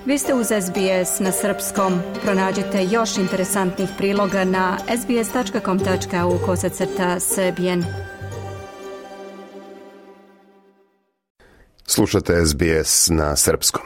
Vi ste uz SBS na srpskom. Pronađite još interesantnih priloga na sbs.com.au/srbijen. Slušate SBS na srpskom.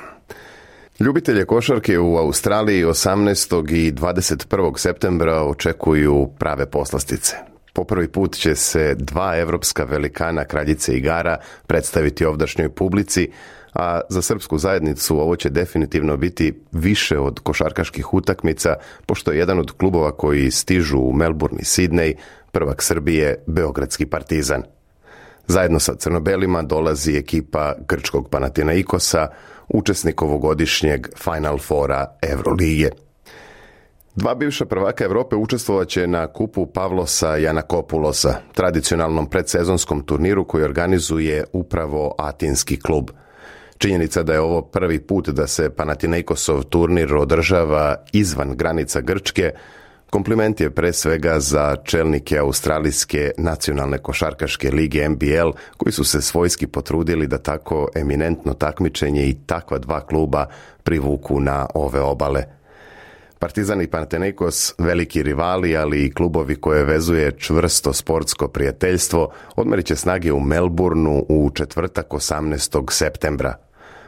Ljubitelje košarke u Australiji 18. i 21. septembra očekuju prave poslastice. Po prvi put će se dva evropska velikana kraljice igara predstaviti ovdašnjoj publici, a za srpsku zajednicu ovo će definitivno biti više od košarkaških utakmica, pošto je jedan od klubova koji stižu u Melbourne i Sidney prvak Srbije, Beogradski Partizan. Zajedno sa crnobelima dolazi ekipa grčkog Panathinaikosa, učesnik ovogodišnjeg Final Fora Evrolige. Dva bivša prvaka Evrope učestvovaće na kupu Pavlosa Janakopulosa, tradicionalnom predsezonskom turniru koji organizuje upravo atinski klub. Činjenica da je ovo prvi put da se Panathinaikosov turnir održava izvan granica Grčke, kompliment je pre svega za čelnike Australijske nacionalne košarkaške lige NBL, koji su se svojski potrudili da tako eminentno takmičenje i takva dva kluba privuku na ove obale. Partizan i Panathinaikos, veliki rivali, ali i klubovi koje vezuje čvrsto sportsko prijateljstvo, odmerit će snage u Melbourneu u četvrtak 18. septembra.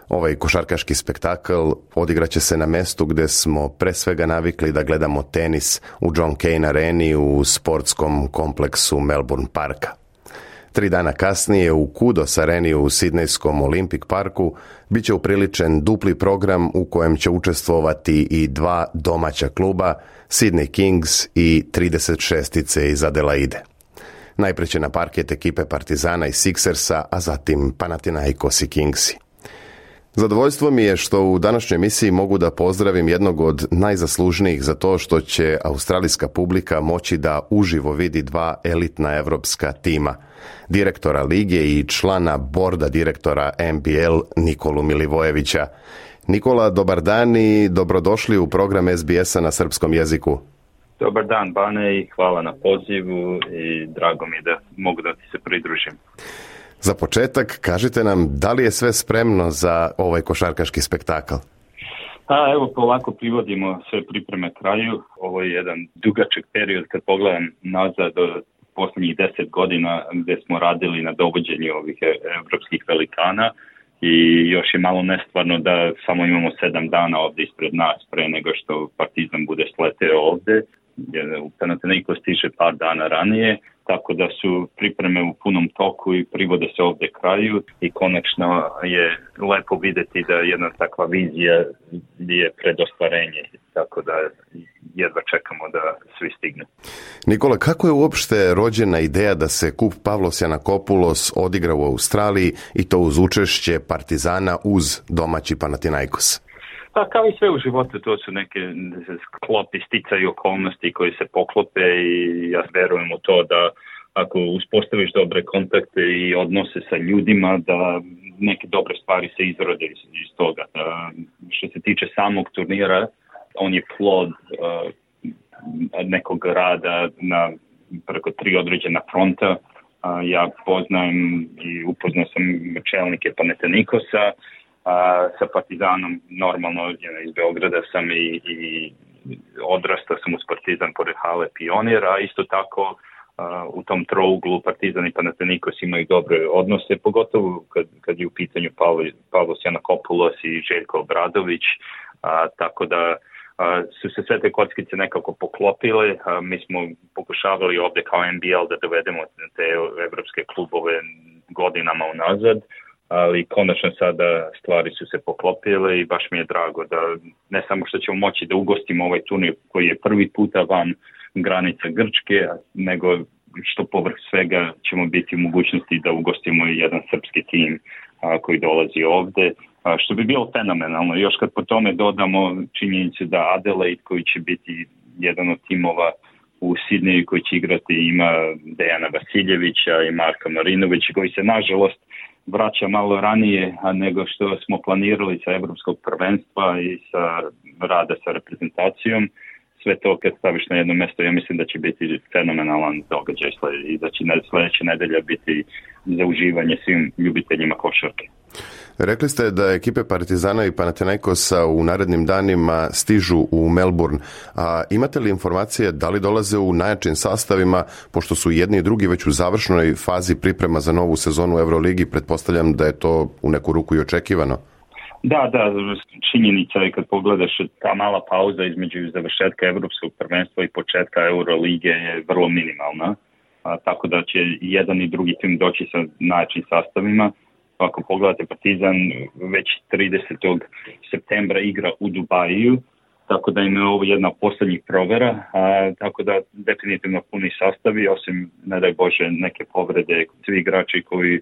Ovaj košarkaški spektakl odigraće se na mestu gde smo pre svega navikli da gledamo tenis u John Cain areni u sportskom kompleksu Melbourne Parka. 3 dana kasnije u Kudos areni u Sidnejskom Olympic Parku bit će upriličen dupli program u kojem će učestvovati i dva domaća kluba, Sydney Kings i 36-ice iz Adelaide. Najpre će na parket ekipe Partizana i Sixersa, a zatim Panathinaikos i Kingsi. Zadovoljstvo mi je što u današnjoj emisiji mogu da pozdravim jednog od najzaslužnijih za to što će australijska publika moći da uživo vidi dva elitna evropska tima, direktora lige i člana borda direktora NBL Nikolu Milivojevića. Nikola, dobar dan i dobrodošli u program SBS-a na srpskom jeziku. Dobar dan, Bane, i hvala na pozivu i drago mi da mogu da ti se pridružim. Za početak, kažite nam da li je sve spremno za ovaj košarkaški spektakl? Evo, polako privodimo sve pripreme kraju. Ovo je jedan dugačak period kad pogledam nazad do posljednjih 10 godina gdje smo radili na dovođenju ovih evropskih velikana i još je malo nestvarno da samo imamo 7 dana ovdje ispred nas pre nego što Partizan bude sleteo ovdje. U Panathinaikos stiže par dana ranije, tako da su pripreme u punom toku i privode se ovdje kraju i konačno je lepo vidjeti da jedna takva vizija je pred ostvarenje, tako da jedva čekamo da svi stignu. Nikola, kako je uopšte rođena ideja da se kup Pavlos Janakopulos odigra u Australiji i to uz učešće Partizana uz domaći Panathinaikos? Pa kao i sve u životu, to su neke sklopi, sticaj okolnosti koji se poklope i ja verujem u to da ako uspostaviš dobre kontakte i odnose sa ljudima, da neke dobre stvari se izrode iz toga. Što se tiče samog turnira, on je plod nekog rada na preko 3 određena fronta. Ja poznajem i upoznao sam čelnike Panathinaikosa, sa Partizanom normalno iz Beograda sam i odrastao sam uz Partizan pored hale Pionir, a isto tako u tom trouglu Partizan i Panathinaikos imaju dobre odnose, pogotovo kad je u pitanju Pavlos Janakopulos i Željko Obradović, tako da su se sve te kockice nekako poklopile. Mi smo pokušavali ovdje kao NBL da dovedemo te evropske klubove godinama unazad, ali konačno sada stvari su se poklopile i baš mi je drago da ne samo što ćemo moći da ugostimo ovaj turnir koji je prvi puta van granica Grčke, nego što povrh svega ćemo biti u mogućnosti da ugostimo i jedan srpski tim koji dolazi ovde, što bi bilo fenomenalno. Još kad po tome dodamo činjenicu da Adelaide, koji će biti jedan od timova u Sidneju koji će igrati, ima Dejana Vasiljevića i Marka Marinovića, koji se nažalost vraća malo ranije nego što smo planirali sa evropskog prvenstva i sa rada sa reprezentacijom. Sve to kad staviš na jedno mjesto, ja mislim da će biti fenomenalan događaj i da će sljedeća nedelja biti za uživanje svim ljubiteljima košarke. Rekli ste da ekipe Partizana i Panathinaikosa u narednim danima stižu u Melbourne. A imate li informacije da li dolaze u najjačim sastavima, pošto su jedni i drugi već u završnoj fazi priprema za novu sezonu u Euroligi? Pretpostavljam da je to u neku ruku i očekivano. Da, činjenica je kad pogledaš ta mala pauza između završetka Evropskog prvenstva i početka Eurolige je vrlo minimalna, tako da će jedan i drugi tim doći sa najjačim sastavima. Ako pogledate, Partizan već 30. septembra igra u Dubaju, tako da im je ovo jedna od posljednjih provera, tako da definitivno puni sastavi, osim, ne daj Bože, neke povrede. Svi igrači koji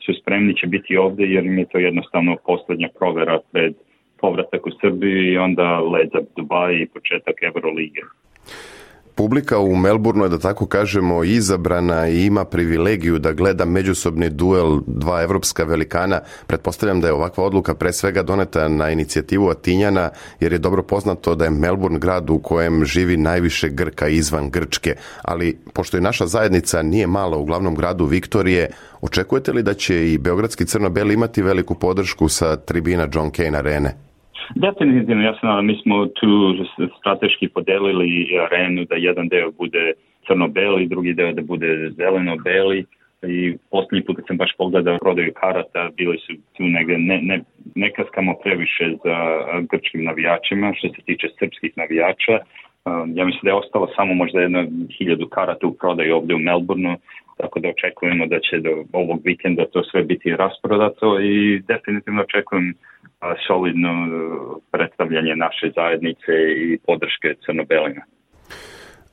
su spremni će biti ovdje, jer im je to jednostavno posljednja provera pred povratak u Srbiju i onda let za Dubaj i početak Eurolige. Publika u Melbourneu je, da tako kažemo, izabrana i ima privilegiju da gleda međusobni duel dva evropska velikana. Pretpostavljam da je ovakva odluka pre svega doneta na inicijativu Atinjana, jer je dobro poznato da je Melbourne grad u kojem živi najviše Grka izvan Grčke. Ali, pošto je naša zajednica nije mala u glavnom gradu Viktorije, očekujete li da će i beogradski crno-beli imati veliku podršku sa tribina John Cain arene? Definitivno, ja sam, mi smo tu strateški podelili arenu da jedan deo bude crno-beli, drugi deo da bude zeleno-beli, i posljednji put kad sam baš pogledao prodaju karata, bili su tu negdje, ne kaskamo previše za grčkim navijačima što se tiče srpskih navijača. Ja mislim da je ostalo samo možda 1,000 karata u prodaju ovdje u Melbourneu, tako da očekujemo da će do ovog vikenda to sve biti rasprodato i definitivno očekujem solidno predstavljanje naše zajednice i podrške crno-belima.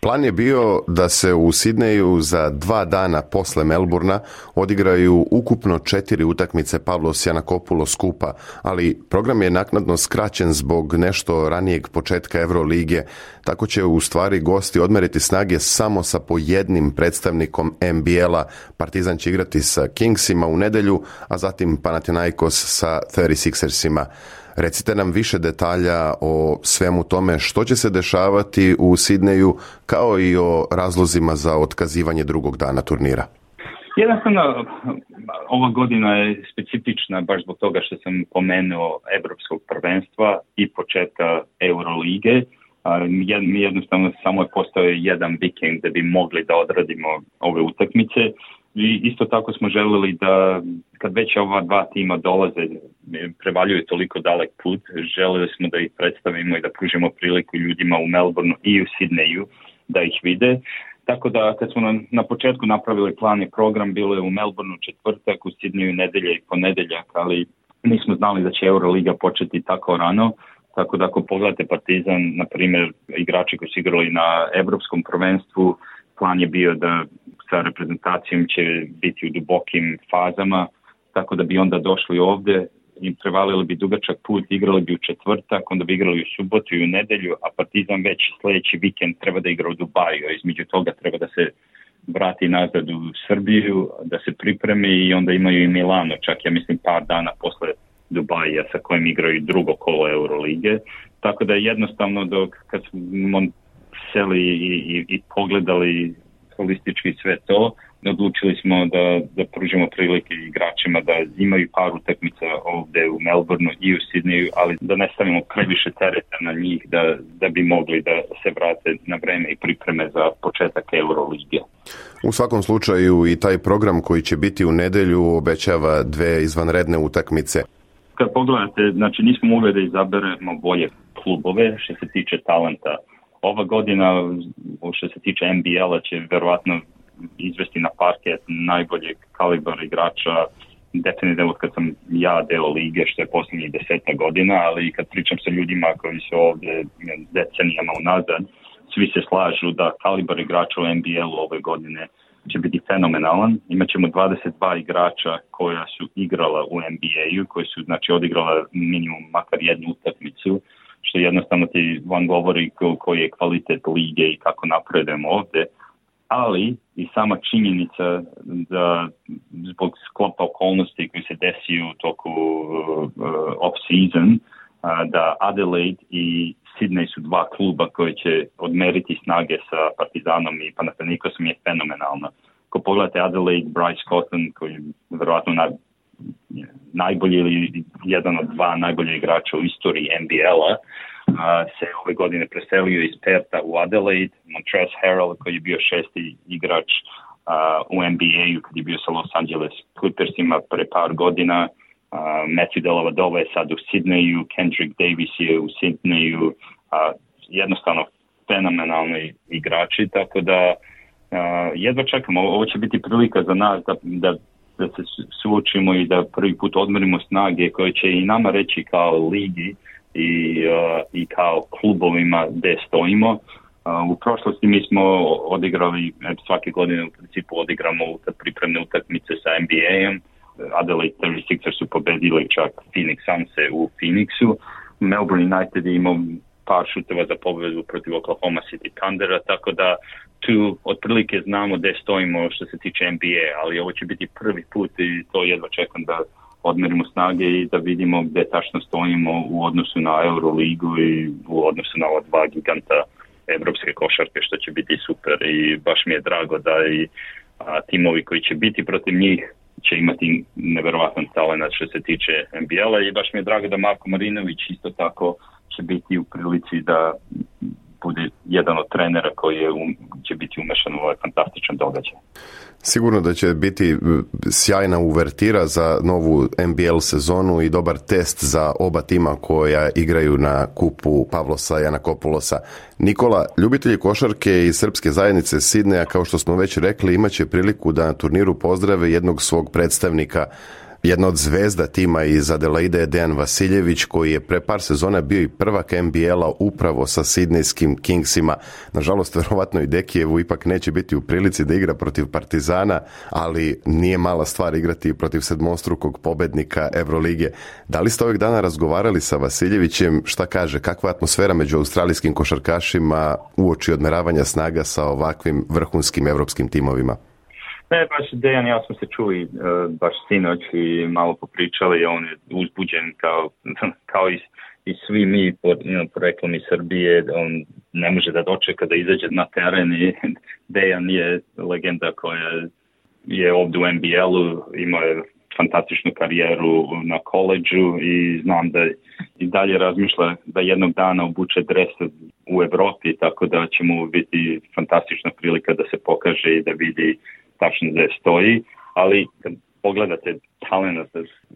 Plan je bio da se u Sidneju za 2 dana posle Melbourna odigraju ukupno 4 utakmice Pavlos Giannakopoulos skupa, ali program je naknadno skraćen zbog nešto ranijeg početka Eurolige. Tako će u stvari gosti odmeriti snage samo sa po jednim predstavnikom NBL-a. Partizan će igrati sa Kingsima u nedjelju, a zatim Panathinaikos sa 36ersima. Recite nam više detalja o svemu tome što će se dešavati u Sidneju, kao i o razlozima za otkazivanje drugog dana turnira. Jednostavno, ova godina je specifična baš zbog toga što sam pomenuo Evropskog prvenstva i početka Eurolige. Mi jednostavno samo je postao jedan vikend da bi mogli da odradimo ove utakmice. I isto tako smo željeli da, kad već ova dva tima dolaze, prevaljuju toliko dalek put, željeli smo da ih predstavimo i da pružimo priliku ljudima u Melbourneu i u Sidneju da ih vide. Tako da kad smo na početku napravili plan i program, bilo je u Melbourneu četvrtak, u Sidneju nedelja i ponedjeljak, ali nismo znali da će Euroliga početi tako rano. Tako da ako pogledate Partizan, na primjer, igrači koji su igrali na Evropskom prvenstvu, plan je bio da sa reprezentacijom će biti u dubokim fazama, tako da bi onda došli ovdje i prevalili bi dugačak put, igrali bi u četvrtak, onda bi igrali u subotu i u nedjelju, a Partizan već sljedeći vikend treba da igra u Dubaju, a između toga treba da se vrati nazad u Srbiju, da se pripremi i onda imaju i Milano, čak ja mislim par dana posle Dubaja sa kojim igraju drugo kolo Eurolige. Tako da jednostavno kad smo seli i pogledali holistički sve to, odlučili smo da pružimo prilike igračima da imaju par utakmica ovdje u Melbourneu i u Sidneju, ali da ne stavimo previše tereta na njih da bi mogli da se vrate na vreme i pripreme za početak Eurolige. U svakom slučaju i taj program koji će biti u nedjelju obećava 2 izvanredne utakmice. Kad pogledate, znači nismo mogli da izaberemo bolje klubove što se tiče talenta. Ova godina, što se tiče NBL-a, će verovatno izvesti na parket najboljeg kalibra igrača, definitivno kad sam ja deo lige, što je posljednjih 10 godina, ali kad pričam sa ljudima koji su ovdje decenijama unazad, svi se slažu da kalibar igrača u NBL-u ove godine će biti fenomenalan. Imaćemo 22 igrača koja su igrala u NBA-u, koji su znači odigrala minimum makar jednu utakmicu, što jednostavno ti vam govori koji je kvalitet lige i kako napredujemo ovdje, ali i sama činjenica da zbog sklopa okolnosti koji se desiju u toku off-season, da Adelaide i Sydney su 2 kluba koji će odmeriti snage sa Partizanom i Panathinaikosom je fenomenalno. Ako pogledate Adelaide, Bryce Cotton, koji je vjerojatno najbolji ili jedan od dva najbolja igrača u istoriji NBL-a, se ove godine preselio iz Pertha u Adelaide. Montrezl Harrell, koji je bio 6. igrač u NBA-u kad je bio sa Los Angeles Clippersima pre par godina. Matthew Dellavedova je sad u Sydneyu, Kendrick Davis je u Sydneyu, jednostavno fenomenalni igrači, tako da jedva čekamo. Ovo će biti prilika za nas da se suočimo i da prvi put odmerimo snage koje će i nama reći kao ligi i kao klubovima gde stojimo. U prošlosti mi smo odigrali, svake godine u principu odigramo pripremne utakmice sa NBA-em. Adelaide 36ers su pobedili čak Phoenix Sunse u Phoenixu. Melbourne United je imao par šuteva za pobedu protiv Oklahoma City Thundera, tako da tu otprilike znamo gde stojimo što se tiče NBA, ali ovo će biti prvi put i to jedva čekam da odmerimo snage i da vidimo gde tačno stojimo u odnosu na Euroligu i u odnosu na ova dva giganta evropske košarke, što će biti super i baš mi je drago da i timovi koji će biti protiv njih će imati neverovatan talent što se tiče NBL-a i baš mi je drago da Marko Marinović isto tako će biti u prilici da bude jedan od trenera koji će biti umešan u ovaj fantastičan događaj. Sigurno da će biti sjajna uvertira za novu NBL sezonu i dobar test za oba tima koja igraju na kupu Pavlosa Janakopoulosa. Nikola, ljubitelji košarke iz srpske zajednice Sidneja, kao što smo već rekli, imaće priliku da na turniru pozdrave jednog svog predstavnika. Jedna od zvezda tima iz Adelaide je Dejan Vasiljević, koji je pre par sezona bio i prvak NBL-a upravo sa sidnejskim Kingsima. Nažalost, verovatno i Dekijevu ipak neće biti u prilici da igra protiv Partizana, ali nije mala stvar igrati protiv sedmostrukog pobednika Evrolige. Da li ste ovih dana razgovarali sa Vasiljevićem? Šta kaže, kakva atmosfera među australijskim košarkašima uoči odmeravanja snaga sa ovakvim vrhunskim evropskim timovima? Ne, baš Dejan, ja smo se čuli baš sinoć i malo popričali, on je uzbuđen kao i svi mi poreklom iz Srbije, on ne može da dočeka da izađe na teren i Dejan je legenda koja je ovdje u NBL-u, imao je fantastičnu karijeru na koleđu i znam da i dalje razmišlja da jednog dana obuče dres u Evropi, tako da će mu biti fantastična prilika da se pokaže i da vidi tačno gde stoji, ali kad pogledate talent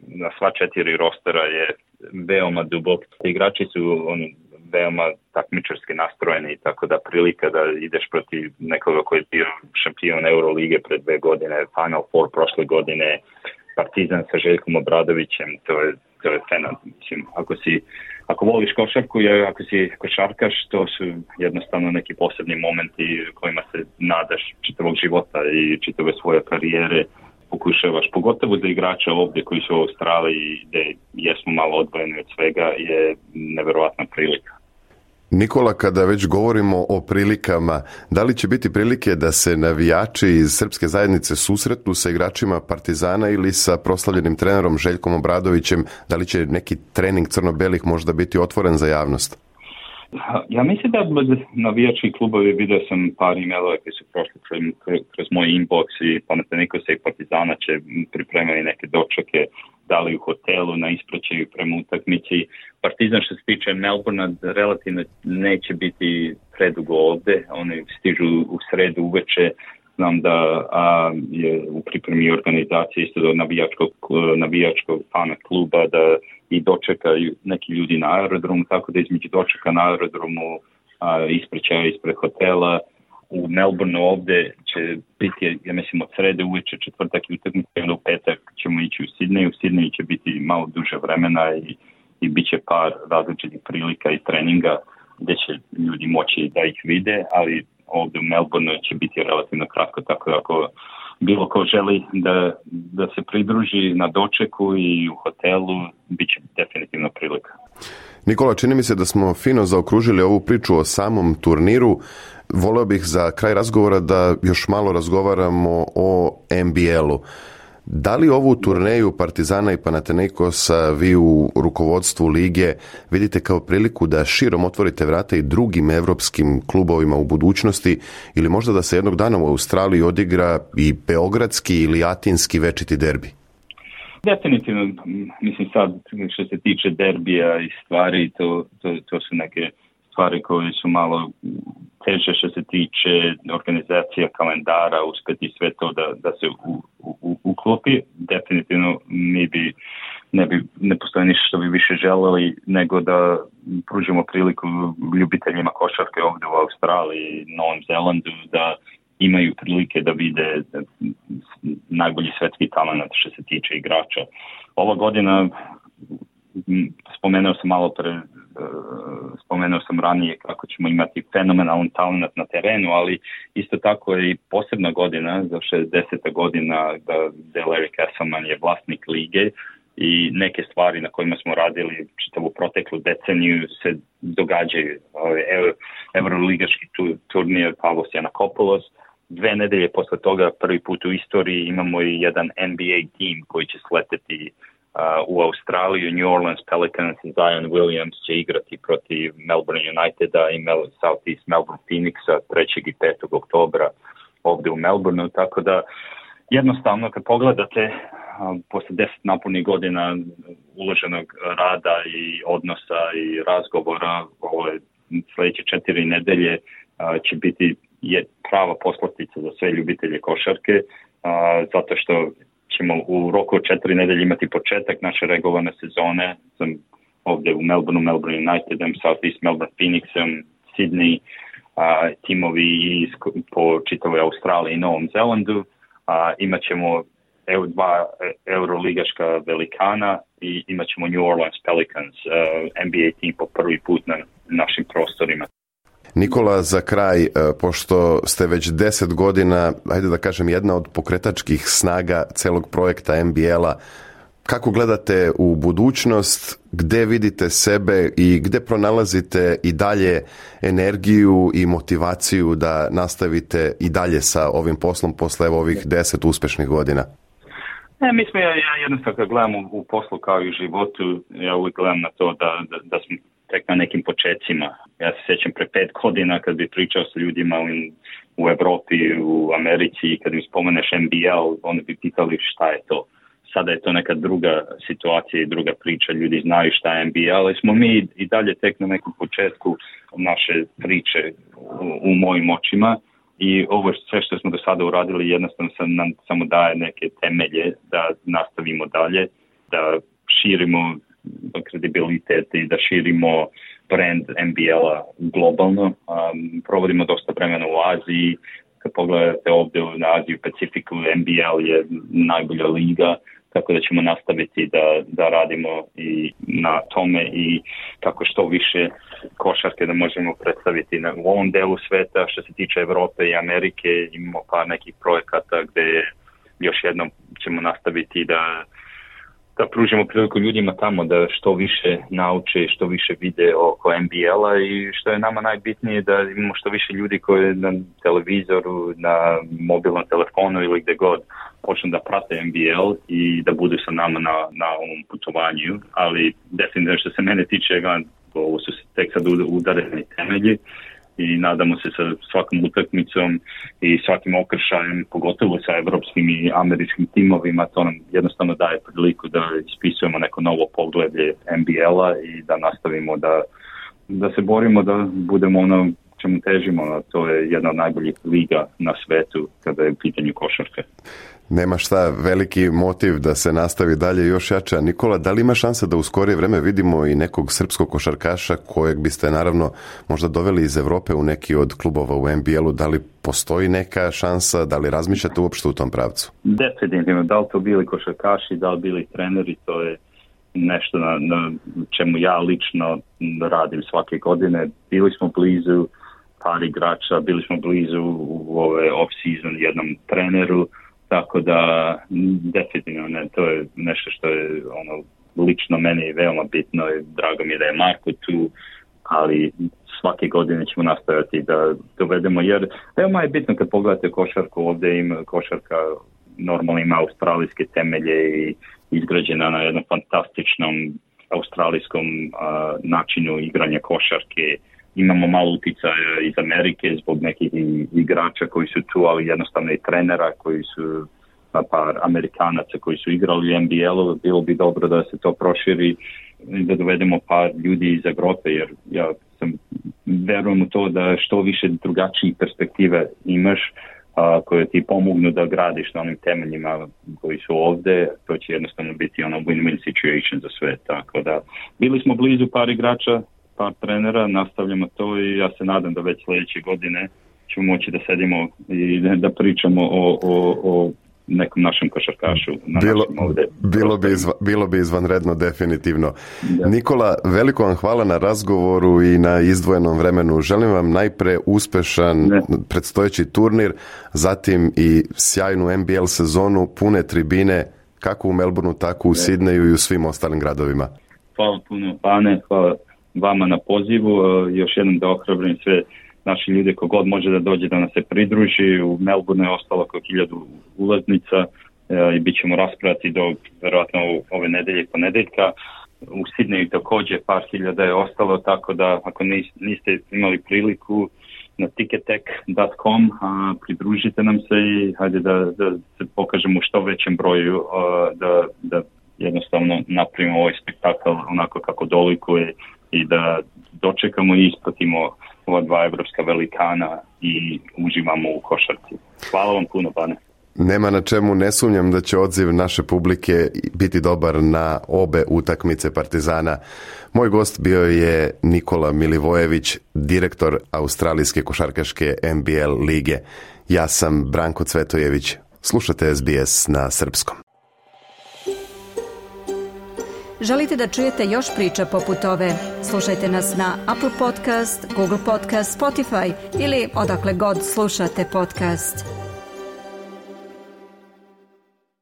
na sva 4 rostera je veoma dubok. Igrači su veoma takmičarski nastrojeni, tako da prilika da ideš protiv nekoga koji je bio šampion Eurolige pred 2 godine, Final Four prošle godine, Partizan sa Željkom Obradovićem, to je fenomenalno. Ako voliš košarku i ako si košarkaš, to su jednostavno neki posebni momenti kojima se nadaš čitavog života i čitave svoje karijere pokušavaš, pogotovo za igrača ovdje koji su u Australiji gdje jesmo malo odvojeni od svega, je neverovatna prilika. Nikola, kada već govorimo o prilikama, da li će biti prilike da se navijači iz srpske zajednice susretnu sa igračima Partizana ili sa proslavljenim trenerom Željkom Obradovićem? Da li će neki trening crno-belih možda biti otvoren za javnost? Ja mislim da navijački klubovi, vidio sam par emailova koji su prošli kroz moj inbox i Panathinaikosa i Partizana će pripremati neke dočeke, da li u hotelu, na ispraćaju prema utakmici. Partizan što se tiče Melbournea relativno neće biti predugo ovde, oni stižu u sredu uveče. Znam da je u pripremi organizacije isto do navijačkog fana kluba da i dočekaju neki ljudi na aerodromu, tako da između dočeka na aerodromu ispraćaja ispred hotela. U Melbourneu ovde će biti, ja mislim, od srede uveče, četvrtak i utakmica, onda u petak ćemo ići u Sidneju. U Sidneju će biti malo duže vremena i bit će par različitih prilika i treninga gde će ljudi moći da ih vide, ali ovdje u Melbourneu će biti relativno kratko, tako da ako bilo ko želi da se pridruži na dočeku i u hotelu, bit će definitivno prilika. Nikola, čini mi se da smo fino zaokružili ovu priču o samom turniru. Voleo bih za kraj razgovora da još malo razgovaramo o NBL-u. Da li ovu turneju Partizana i Panathinaikosa vi u rukovodstvu lige vidite kao priliku da širom otvorite vrata i drugim evropskim klubovima u budućnosti ili možda da se jednog dana u Australiji odigra i beogradski ili atinski večiti derbi? Definitivno, mislim sad što se tiče derbija i stvari, to su neke stvari koje su malo teže što se tiče organizacija kalendara, uspjeti sve to da se uklopi. Definitivno ne postoji ništa što bi više želeli nego da pružimo priliku ljubiteljima košarke ovdje u Australiji i Novom Zelandu da imaju prilike da vide najbolji svetski talent što se tiče igrača. Ova godina, spomenuo sam ranije kako ćemo imati fenomenalan talent na terenu, ali isto tako je i posebna godina, za 60. godina da Larry Kesselman je vlasnik lige i neke stvari na kojima smo radili čitavu proteklu deceniju se događaju. Euroligaški turnir Pavlos Yanakopoulos. 2 nedelje posle toga, prvi put u istoriji, imamo i jedan NBA tim koji će sleteti u Australiju. New Orleans Pelicans i Zion Williams će igrati protiv Melbourne Uniteda i Southeast Melbourne Phoenixa 3. i 5. oktobra ovdje u Melbourneu, tako da jednostavno kad pogledate posle 10 napunih godina uloženog rada i odnosa i razgovora, ove sljedeće 4 nedelje će biti prava poslastica za sve ljubitelje košarke, zato što ćemo u roku od 4 nedelje imati početak naše regularne sezone. Sam ovdje u Melbourneu, Melbourne Unitedom, Southeast Melbourne Phoenixom, Sydney, timovi po čitavoj Australiji i Novom Zelandu. Imat ćemo 2 euroligaška velikana i imat ćemo New Orleans Pelicans, NBA tim po prvi put na našim prostorima. Nikola, za kraj, pošto ste već 10 godina, ajde da kažem, jedna od pokretačkih snaga celog projekta NBL-a, kako gledate u budućnost, gde vidite sebe i gde pronalazite i dalje energiju i motivaciju da nastavite i dalje sa ovim poslom posle ovih 10 uspešnih godina? Ja jednostavno kad gledam u poslu kao i u životu, ja uvijek gledam na to da smo tek na nekim počecima. Ja se sjećam pre 5 godina kad bi pričao sa ljudima u Evropi, u Americi, kad mi spomeneš NBL, oni bi pitali šta je to. Sada je to neka druga situacija i druga priča, ljudi znaju šta je NBL, ali smo mi i dalje tek na nekom početku naše priče u mojim očima. I ovo sve što smo do sada uradili jednostavno nam samo daje neke temelje da nastavimo dalje, da širimo kredibilitet i da širimo brand NBL-a globalno. Provodimo dosta vremena u Aziji. Kad pogledate ovdje na Aziju Pacifiku, NBL je najbolja liga, tako da ćemo nastaviti da radimo i na tome i kako što više košarke da možemo predstaviti u ovom delu sveta. Što se tiče Evrope i Amerike, imamo par nekih projekata gdje još jednom ćemo nastaviti da pružimo priliku ljudima tamo da što više nauče, što više vide oko NBL-a i što je nama najbitnije da imamo što više ljudi koji na televizoru, na mobilnom telefonu ili gdje god počnu da prate NBL i da budu sa nama na ovom putovanju. Ali definitivno što se mene tiče, ovo su tek sad udareni temelji i nadamo se sa svakom utakmicom i svakim okršajem, pogotovo sa evropskim i američkim timovima, to nam jednostavno daje priliku da ispisujemo neko novo poglavlje NBL-a i da nastavimo da se borimo, da budemo ono čemu težimo, a to je jedna od najboljih liga na svetu kada je u pitanju košarke. Nema šta, veliki motiv da se nastavi dalje još jače. Nikola, da li ima šansa da u skorije vreme vidimo i nekog srpskog košarkaša kojeg biste naravno možda doveli iz Evrope u neki od klubova u NBL-u? Da li postoji neka šansa, da li razmišljate uopšte u tom pravcu? Definitivno, da li to bili košarkaši, da li bili treneri, to je nešto na čemu ja lično radim svake godine. Bili smo blizu par igrača, bili smo blizu u ove off-season jednom treneru, tako da definitivno to je nešto što je lično meni veoma bitno i drago mi je da je Marko tu, ali svake godine ćemo nastaviti da dovedemo, jer veoma je bitno kad pogledate košarku, ovdje ima košarka normalno ima australijske temelje i izgrađena na jednom fantastičnom australijskom načinu igranja košarke. Imamo malo uticaja iz Amerike zbog nekih igrača koji su tu, ali jednostavno i trenera koji su par Amerikanaca koji su igrali u NBL-u, bilo bi dobro da se to proširi i da dovedemo par ljudi iz Evrope, jer ja verujem u to da što više drugačijih perspektive imaš koje ti pomognu da gradiš na onim temeljima koji su ovde, to će jednostavno biti ono win-win situation za sve. Tako da bili smo blizu par igrača, par trenera, nastavljamo to i ja se nadam da već sljedeće godine ćemo moći da sedimo i da pričamo o nekom našem košarkašu. Bilo bi izvanredno, definitivno. Da. Nikola, veliko vam hvala na razgovoru i na izdvojenom vremenu. Želim vam najpre uspešan predstojeći turnir, zatim i sjajnu NBL sezonu, pune tribine, kako u Melbourneu, tako u Sidneju i u svim ostalim gradovima. Hvala puno, Pane, hvala vama na pozivu. Još jednom da ohrabrim sve naši ljudi, kogod može da dođe da nas se pridruži. U Melbourneu je ostalo oko 1000 ulaznica i bit ćemo raspravati do verovatno ove nedelje i ponedeljka. U Sidneju također par hiljada je ostalo, tako da ako niste imali priliku na ticketek.com pridružite nam se i hajde da se pokažemo u što većem broju da jednostavno napravimo ovaj spektakl onako kako dolikuje i da dočekamo i ispratimo ova dva evropska velikana i uživamo u košarci. Hvala vam puno, Pane. Nema na čemu, ne sumnjam da će odziv naše publike biti dobar na obe utakmice Partizana. Moj gost bio je Nikola Milivojević, direktor Australijske košarkaške NBL lige. Ja sam Branko Cvetojević. Slušate SBS na srpskom. Želite da čujete još priča poput ove? Slušajte nas na Apple Podcast, Google Podcast, Spotify ili odakle god slušate podcast.